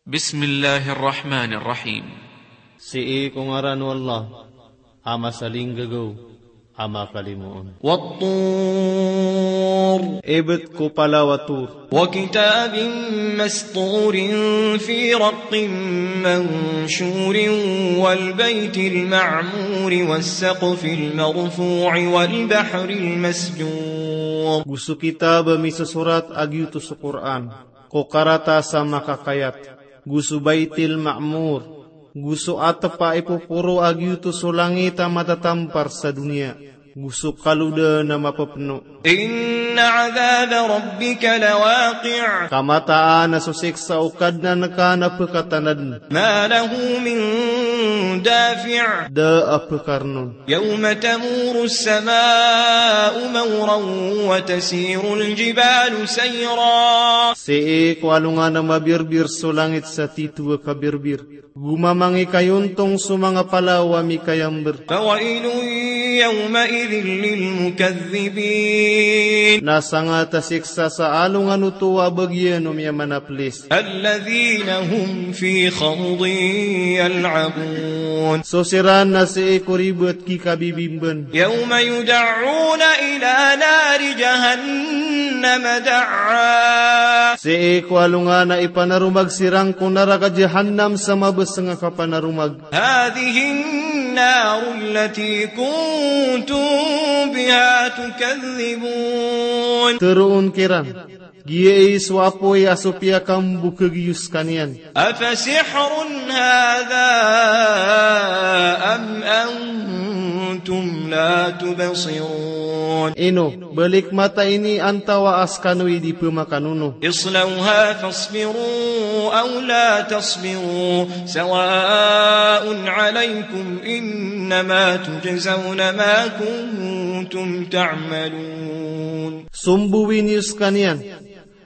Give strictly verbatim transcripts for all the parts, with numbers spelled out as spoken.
Bismillahir Rahmanir Rahim. Sii ko ngaran o Allah, a masalinggagaw, a makalimoon. Wat-tur. Ibet ko palaw a Tur. Wa kitabin masturin fi raqqin manshurin wal baytil ma'muri was saqfil marfu'i wal bahril masjur. Go so kitab a misosorat a giyoto so Qur'an, ko karatas a makakayat, go so Baytil Ma'mur, go so atep a ipoporo a giyoto so langit a matatampar sa doniya, go so kalodan a mapepeno. Inna adhaba rabbika lawaqi'. Ka mataan a so siksa o Kadnan ka na pekatanaden. Ma lahu min dafi'. Da a pekarnon. Yawma tamurus sama'u mawran wa tasirul jibalu sayra. Sii ko alongan a mabirbir so langit sa tito a kabirbir, go mamangikayontong so manga palaw a mikayamber. Fawailun yawma'idhin lil mukaththibin. Na sangat a siksa sa alongan oto a bagian o miyamanaplis. Alladhina hum fi khawdin yal'abun. So siran na sii ko ribet kikabibimban. Yawma yud'auna ila nari jahannama da'wa. Sii ko alongan a ipanaromag siran ko naraka Jahannam sa mabeseng a kapanaromag. Hadhihin naru allati kuntum biha tukadhdhibun. Teroon kiran, giyai so apoy a so piyakambokeg iyo sekaniyan. Afasihrun hadha am antum la tubsirun. Ino, balik mata ini antawaa sekano i di pemakanono. Islawha fasbiru aw la tasbiru sawa'un alaykum innama tujzawna ma kuntum ta'malun. Sombowi niyo sekaniyan,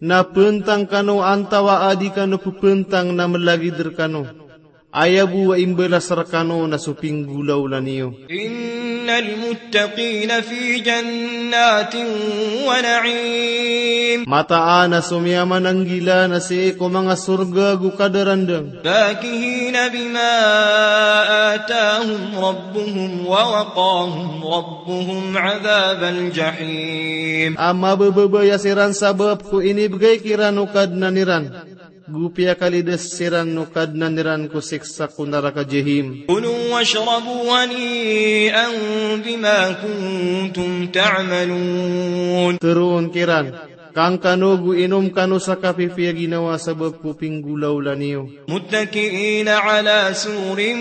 na pentang kano antawaa di kano pepentang na melagid rekano. Aya bo a imbalas rekano na so pinggolawla niyo. Innal muttaqina fi jannatin wa na'im. Mataan a so miyamananggila na sii ko manga sorga go kadarandang. Fakihina bima atahum rabbuhum wa waqahum rabbuhum adhabal jahim. A mabababaya siran sabap ko inibegay kiran o Kadnan iran, go piyakalidas siran o Kadnan iran ko siksa ko naraka Jahim. Kulu washrabu hani'an bima kuntum ta'malun. Teroon kiran, kang kano go inom kano sa kapipiya ginawa sabap ko pinggolawla niyo. Muttaki'ina ala sururin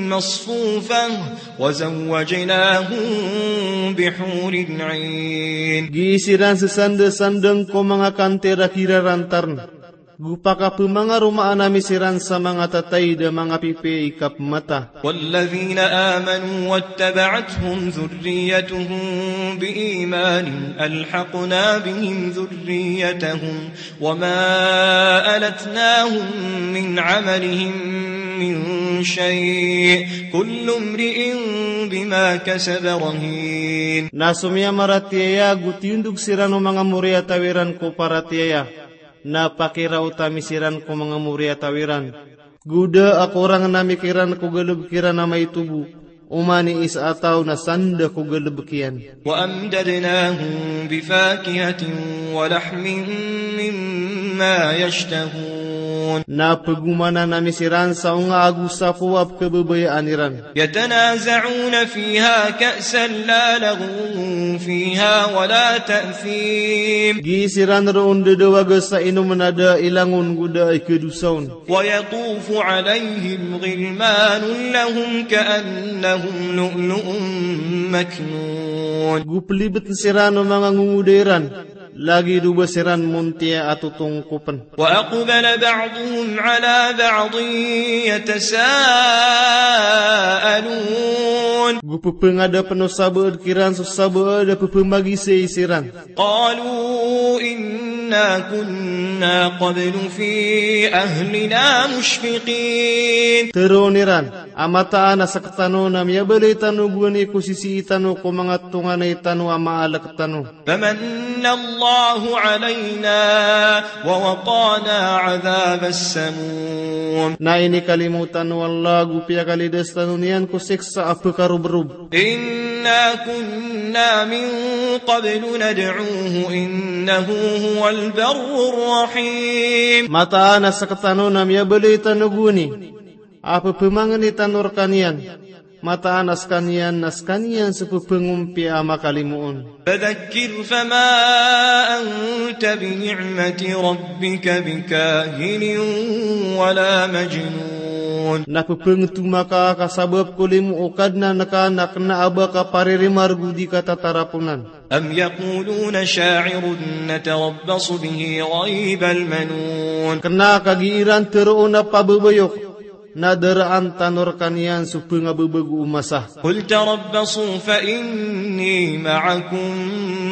masfufah, wa zawwajnahum bihurin 'ain. Gii siran sesandasandang ko manga kantir a kirarantarn, go pakapemangaromaan ami siran sa manga tataid a manga pipiya i kapemata. Walladhina amanu wattaba'athum dhurriyyatuhum bi imanin alhaqna bihim dhurriyyatahum wa ma alatnahum min 'amalihim min shay', kullu imri'in bima kasaba rahin. Na so miyamaratiyaya go tiyondog siran o manga moriyataw iran ko paratiyaya, na pakiraot ami siran ko manga moriyataw iran. Go da a korang ami kiran ko galebek iran a maito bo, oman i isa a taw na sanda ko galebek iyan. Wa amdadnahum bi fakihatin wa lahmin mimma yashtahun. Na pegomanan ami siran sa onga ago sapo a pekebabayaan iran. Yatanaza'una fiha ka'san la laghwun fiha wa la ta'thim. Gii siran roo ndadawaga sa inomen a da i langon go da i kedosa on. Wa yatufu alayhim ghilmanun lahum ka'annahum lu'lu'un maknun. Go pelibeten siran o manga ngongoda iran, lagid o ba siran montiya a totongkopen. Wa aqbala ba'duhum ala ba'din yatasa'alun. Go pepengadapen o sabaad kiran so sabaad a pepemagisay siran. Qalu inna kunna qablu fi ahlina mushfiqin. Teroon iran, a mataan a sektano na miyabalay tano bo ani ko sisii tano ko manga tonganay tano a maalek tano. Famanna Allahu alayna wa waqana adhabas samum. Na inikalimo tano o Allah ago piyakalidas tano niyan ko siksa a pkarobrob. إنا كنا من قبل ندعوه إنه هو البر الرحيم. Mataan a sktano na miyabaloy tano gowani a pphamangni tano rkaniyan. Mataan a skaniyan na skaniyan so pphangompiyaan a makalimoon. فذكر فما أنت بنعمة ربك بكاهن ولا مجنون. Na pphanthoma ka ka sabap ko limo o Kadnan ka na kna a ba ka paririmarg o di ka tataraponan. أم يقولون شاعر نتربص به ريب المنون. Kna ka gii ran tharoon a pababayok na daraan tano rkaniyan so pngababago o masa. قل تربصوا فإني معكم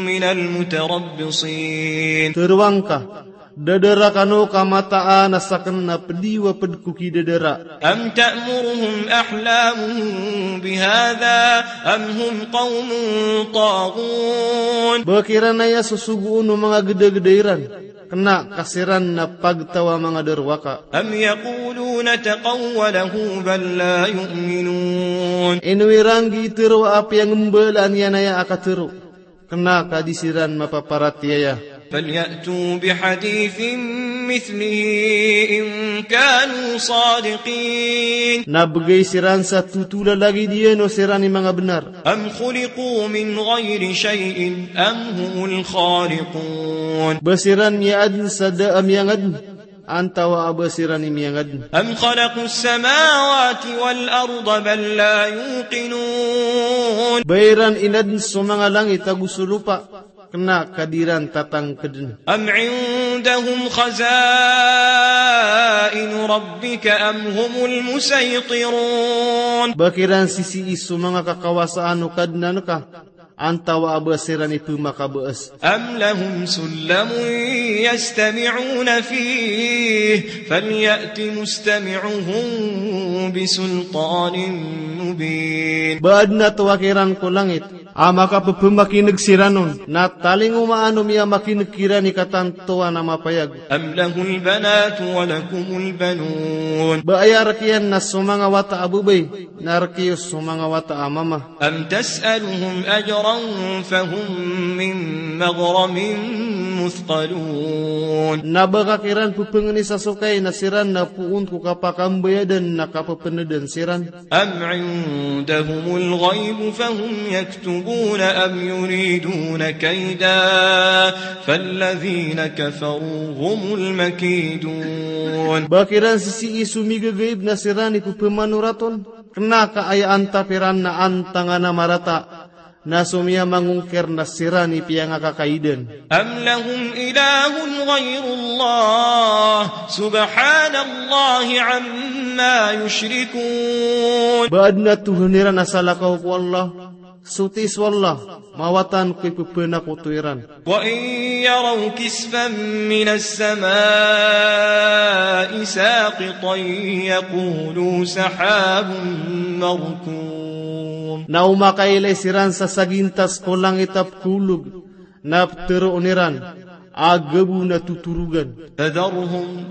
من المتربصين. Tharoang ka, dadara kano ka mataan a sakn na pd iyo a pd ko kidadara. أم تأمرهم أحلامهم بهذا أم هم قوم طاغون. Ba kiran aya sosogoon o manga gdagda iran, kna ka siran na pagtaw a manga darowaka. أم يقولون تقوله بل لا يؤمنون. Ino iran gii tharoa a piyangambalaan iyan aya a katharo, kna ka di siran mapaparatiyaya. فليأتوا بحديث مثله إن كانوا صادقين. Na bgay siran sa totola lagid iyan o siran i manga bnar. أم خلقوا من غير شيء أم هم الخالقون. Ba siran miyaadn sa da a miyangadn, antawaa ba siran i miyangadn. أم خلقوا السماوات والأرض بل لا يوقنون. Ba iran inadn so manga langit ago so lopa, kna ka di ran tatangkdn. أم عندهم خزائن ربك أم هم المسيطرون. Ba kiran sisii so manga kakawasaan o Kadnan ka, antawaa ba siran i pmakabaas. أم لهم سلم يستمعون فيه فليأت مستمعهم بسلطان مبين. Ba adn a toa kiran ko langit a makappmakin'g siran on, na talingomaan o miyamakin'g kiran i katantowan a mapayag. أم له البنات ولكم البنون. Ba aya rk iyan na so manga wata a babay, na rk iyo so manga wata a mama. أم تسألهم أجرا فهم من مغرم مثقلون. Na ba ka kiran pphangnisa so kai na siran na poon ko kapakambayadan na kapapndan siran. أم عندهم الغيب فهم يكتبون أم يريدون كيدا فالذين كفروا هم المكيدون. Ba kiran sisii so migagaib na siran i pphamanorat on, kna ka aya antap iran na antangan a marata, na so miyamangongkir na siran i piyangakakaidan. أم لهم إله غير الله سبحان الله عما يشركون. Ba adn a tohan iran a salakaw ko Allah, soti so Allah, mawatan ko ippanakoto iran. وإن يروا كسفا من السماء ساقطا يقولوا سحاب مركوم. Na o makailay siran sa sagintas ko langit a pkhaolog, na ptharoon iran a gabo na totorogan. فذرهم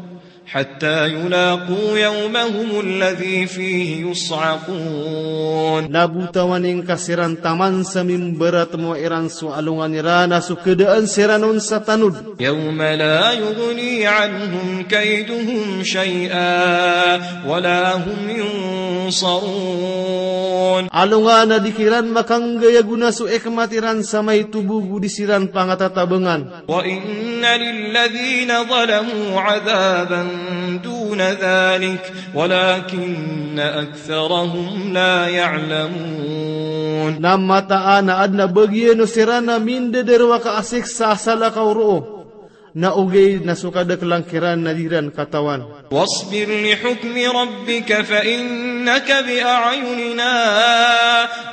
حتى يلاقوا يومهم الذي فيه يصعقون. Na botawan ingka siran taman sa mimbaratmo iran so alongan iran a so khadaan siran on sa tanod. يوم لا يغني عنهم كيدهم شيئا ولا هم ينصرون. Alongan a di kiran makanggay a gona so ikmat iran sa maito bo go di siran pangatatabngan. وإن للذين ظلموا عذابا دون ذلك ولكن أكثرهم لا يعلمون. Na mataan a adn a bagian o siran a mindadarowaka a siksa a salakaw roo, na ogaid na so kadaklan kiran na di ran katawan. واصبر لحكم ربك فإنك بأعيننا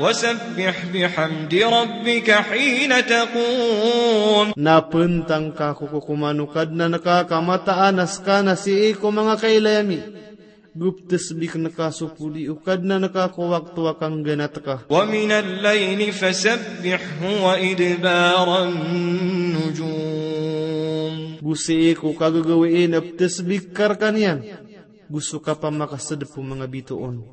وسبح بحمد ربك حين تقوم. Na pntang ka ko kokoman o Kadnan ka ka mataan a ska na sii ko manga kailay ami, go ptsbikn ka so podi o Kadnan ka ko wakto a kangganat ka. ومن الليل فسبحه وإدبار النجوم. Go sii ko kagagawii na ptsbik ka rkaniyan go so kapamakasdp o manga bitoon.